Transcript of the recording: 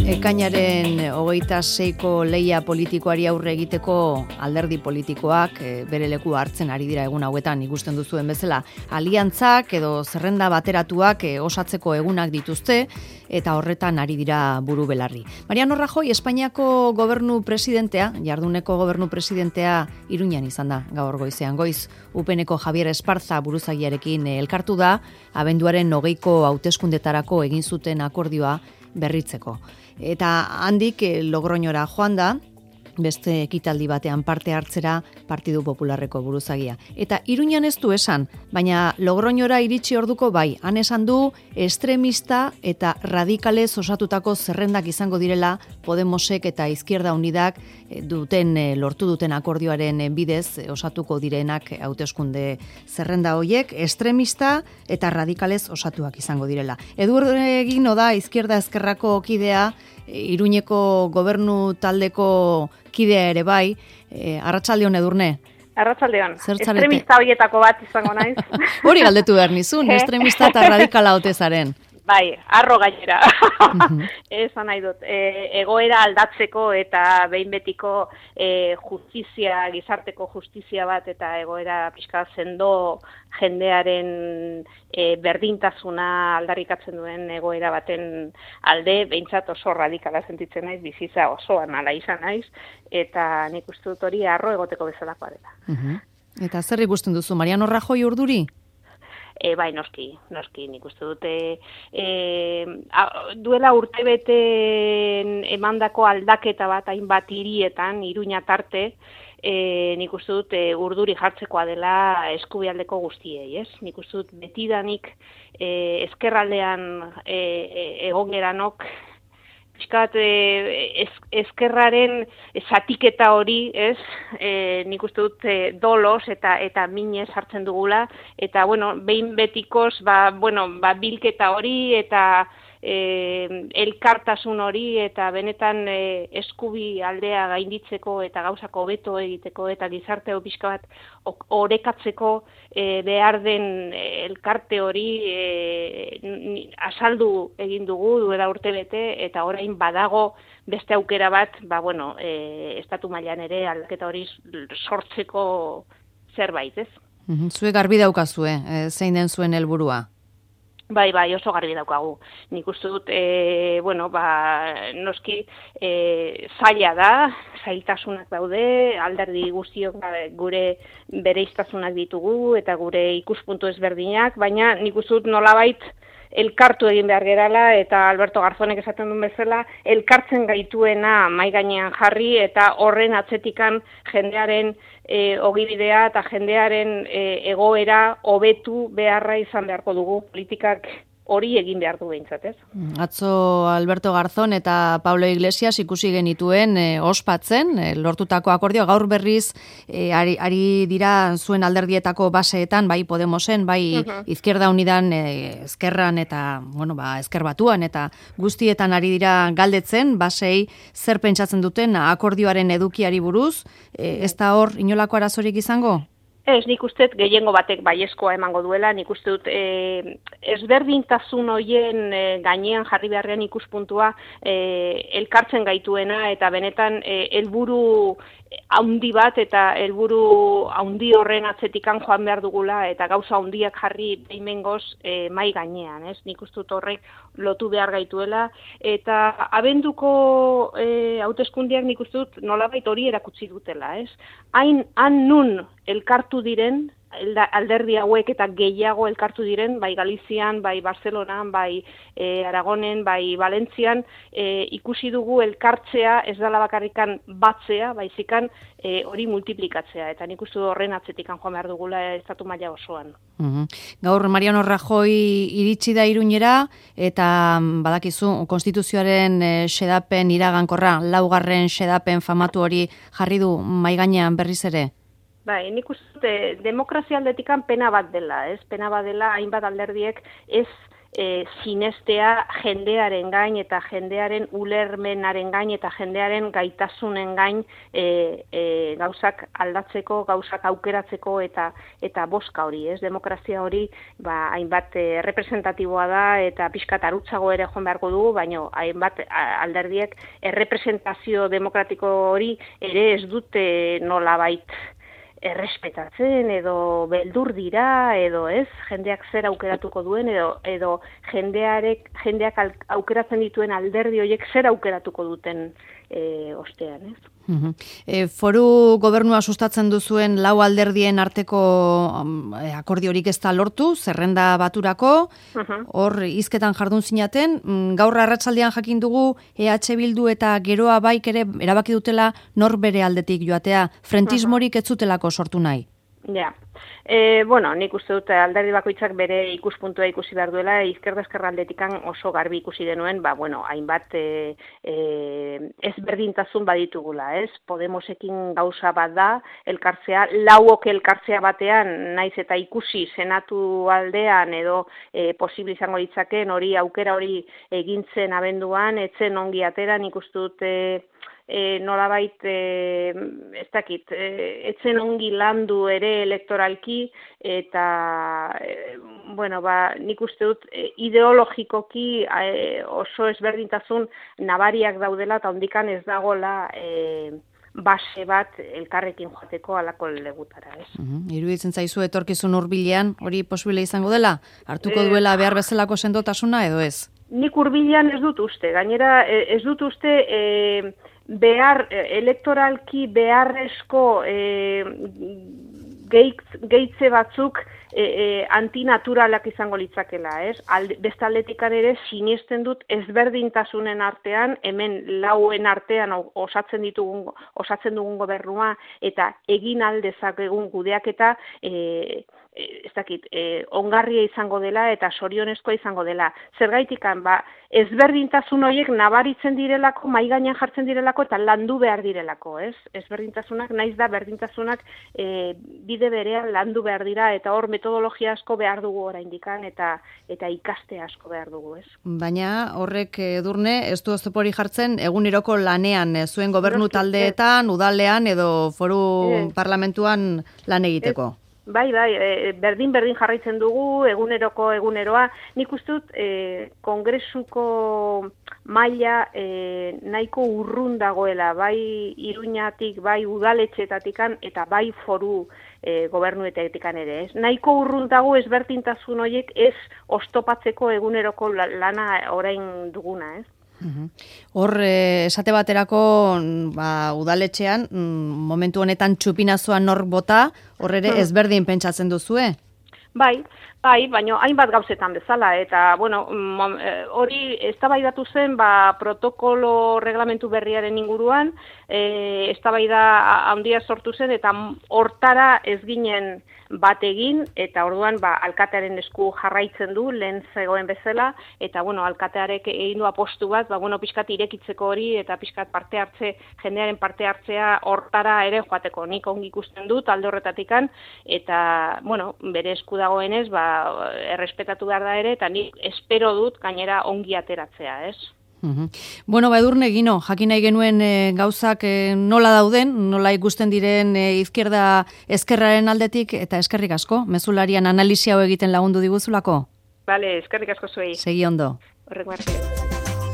Ekainaren 26ko lehia politikoari aurre egiteko alderdi politikoak bere leku hartzen ari dira egun hauetan ikusten duzuen bezala. Aliantzak edo zerrenda bateratuak osatzeko egunak dituzte eta horretan ari dira buru belarri. Mariano Rajoy Espainiako gobernu presidentea, jarduneko gobernu presidentea Iruñan izan da gaur goizean. Goiz UPNeko Javier Esparza buruzagiarekin elkartu da, abenduaren 20ko hauteskundetarako egin zuten akordioa berritzeko. Eta handik Logroñora joan da, beste ekitaldi batean parte hartzera Partidu Popularreko buruzagia. Eta Iruñan ez du esan, baina Logroñora iritsi orduko bai, han esan du estremista eta radikalez osatutako zerrendak izango direla Podemosek eta Izquierda Unidak lortu duten akordioaren bidez osatuko direnak hauteskunde zerrenda hoiek estremista eta radikalez osatuak izango direla. Eduardo Egino da Izquierda Ezkerrako kidea, Iruñeko gobernu taldeko kidea ere bai, arratsaldeon Edurne. Arratsaldeon. Estremista horietako bat izango naiz. Hori galdetu behar nizun, estremista eta radikala ote zaren. Bai, arro gainera. Esan nahi dut. Egoera aldatzeko eta behin betiko justizia, gizarteko justizia bat eta egoera pixka sendo jendearen berdintasuna aldarrikatzen duen egoera baten alde, behintzat oso radikala sentitzen naiz, bizitza osoan ala izan naiz, eta nik uste dut hori arro egoteko bezalakoa dela. Eta zer ikusten duzu, Mariano Rajoy urduri? Bai, noski, nik uste dute duela urtebete emandako aldaketa bat hainbat hirietan, Iruña tarte, nik uste dut urduri jartzekoa dela eskubialdeko guztiei, ez? Nik uste dut betidanik ezkerraldean egon geranok, pixkat ezkerraren zatiketa hori, ez? Nik uste dut dolos eta minez hartzen dugula, eta, behin betikoz, bilketa hori eta elkartasun hori eta benetan eskubi aldea gainditzeko eta gauzako hobeto egiteko eta gizarte pixka bat orekatzeko behar den elkarte hori azaldu egin dugu duela urtebete eta orain badago beste aukera bat, estatu mailan ere aldaketa hori sortzeko zerbait, ez? Zuek garbi daukazue, zein den zuen helburua? Bai, oso garbi daukagu. Nik uste dut, noski zaila da, zailtasunak daude, alderdi guztiok gure bereiztasunak ditugu eta gure ikuspuntu ezberdinak, baina nik uste dut nolabait elkartu egin behar gerala eta Alberto Garzonek esaten duen bezala, elkartzen gaituena mahai gainean jarri eta horren atzetikan jendearen ogibidea eta jendearen egoera hobetu beharra izan beharko dugu politikak hori egin behar du behintzat, ez? Atzo Alberto Garzón eta Pablo Iglesias ikusi genituen ospatzen, lortutako akordioa gaur berriz ari dira zuen alderdietako baseetan, bai Podemosen, bai Izquierda Unidan, Ezkerran eta, Ezker Batuan eta guztietan ari dira galdetzen, basei zer pentsatzen duten akordioaren edukiari buruz, ez da hor inolako arazorik izango? Ez, nik uste gehiengo batek baiezkoa emango duela, nik uste dut ezberdintasun horien gainean jarri beharrean ikuspuntua elkartzen gaituena eta benetan helburu haundi bat eta helburu haundi horren atzetikan joan behar dugula eta gauza haundiak jarri behimengoz mai gainean, ez? Nik uste dut horrek lotu behar gaituela eta abenduko hauteskundeak nik uste dut nolabait hori erakutsi dutela, ez? Han nun elkartu diren, alderdi hauek eta gehiago elkartu diren, bai Galizian, bai Barcelonan, bai Aragonen, bai Valentzian, ikusi dugu elkartzea ez dela bakarrikan batzea, baizikan hori multiplikatzea, eta nik uste horren atzetikan joan behar dugula estatu maila osoan. Gaur Mariano Rajoy iritsi da Iruñera, eta badakizu, konstituzioaren xedapen iragankorra, 4. xedapen famatu hori jarri du mahai gainean berriz ere? Bai, nik uste demokrazia aldetikan pena bat dela, ez? Pena bat dela hainbat alderdiek ez sinestea jendearen gain eta jendearen ulermenaren gain eta jendearen gaitasunen gain gauzak aldatzeko, gauzak aukeratzeko eta bozka hori, ez? Demokrazia hori hainbat representatiboa da eta pixkat arutzago ere joan beharko dugu, baina hainbat alderdiek errepresentazio demokratiko hori ere ez dute nolabait errespetatzen edo beldur dira edo ez, jendeak zer aukeratuko duen edo jendeak aukeratzen dituen alderdi horiek zer aukeratuko duten ostean, ez? Foru gobernua sustatzen duzuen lau alderdien arteko akordiorik ez da lortu, zerrenda baturako, hor hizketan jardun zinaten, gaur arratsaldean jakin dugu EH Bildu eta Geroa Baik ere erabaki dutela nor bere aldetik joatea, frentismorik ez zutelako sortu nahi. Ja. Nik uste dut alderdi bakoitzak bere ikuspuntua ikusi behar duela, izkerda-ezkerra aldetikan oso garbi ikusi denuen, hainbat ezberdintasun baditugula, ez? Podemosekin gauza bat da, elkartzea, lauok elkartzea batean, naiz eta ikusi senatu aldean edo posible izango ditzaken hori aukera hori egintzen abenduan, etzen ongi atera, nik uste dut nolabait, ez dakit, etzen ongi landu ere elektoralki eta, nik uste dut ideologikoki oso ezberdintasun nabariak daudela eta ondikan ez dagola base bat elkarrekin joateko alako legutara, ez? Iruditzen zaizu etorkizun hurbilean hori posible izango dela? Hartuko duela behar bezalako sendotasuna edo ez? Nik hurbilean ez dut uste, gainera ez dut uste elektoralki beharrezko gehitze batzuk antinaturalak izango litzakela, ez? Beste aldetikan ere sinesten dut ezberdintasunen artean, hemen lauen artean osatzen dugun gobernua eta egin aldezakegun kudeaketa ez dakit, ongarria izango dela eta sorionezkoa izango dela. Zergaitikan, ezberdintasun horiek nabaritzen direlako, mahai gainean jartzen direlako eta landu behar direlako, ez? Ezberdintasunak, naiz da berdintasunak bide berean landu behar dira eta hor metodologia asko behar dugu oraindikan eta ikaste asko behar dugu, ez? Baina horrek Edurne, ez du oztopori jartzen eguneroko lanean, zuen gobernu taldeetan, udalean edo foru parlamentuan lan egiteko. Bai, berdin jarraitzen dugu, eguneroa. Nik uste dut, kongresuko maila nahiko urrun dagoela, bai Iruñatik, bai udaletxeetatikan, eta bai foru gobernuetetikan ere. Nahiko urrun dago ezberdintasun horiek ez oztopatzeko eguneroko lana orain duguna, ez? Hor, esate baterako udaletxean, momentu honetan txupinazoan nor bota, hor ere ezberdin pentsatzen duzue? Bai, baina hainbat gauzetan bezala, eta, hori eztabaidatu zen, protokolo reglamentu berriaren inguruan, eztabaida handia sortu zen, eta hortara ez ginen bat egin, eta orduan, alkatearen esku jarraitzen du, lehen zegoen bezala, eta, alkatearek egin du apostu bat, pixkat irekitzeko hori, eta pixkat jendearen parte hartzea hortara ere joateko. Nik ongi ikusten dut, alde horretatikan, eta, bere esku dagoenez, errespetatu behar da ere, eta nik espero dut gainera ongi ateratzea, ez? Edurne, Gino, jakin nahi genuen gauzak nola dauden, nola ikusten diren izquierda ezkerraren aldetik, eta eskerrik asko, mezularian analisi hau egiten lagundu diguzulako? Bale, eskerrik asko zuei. Segi ondo. Horrek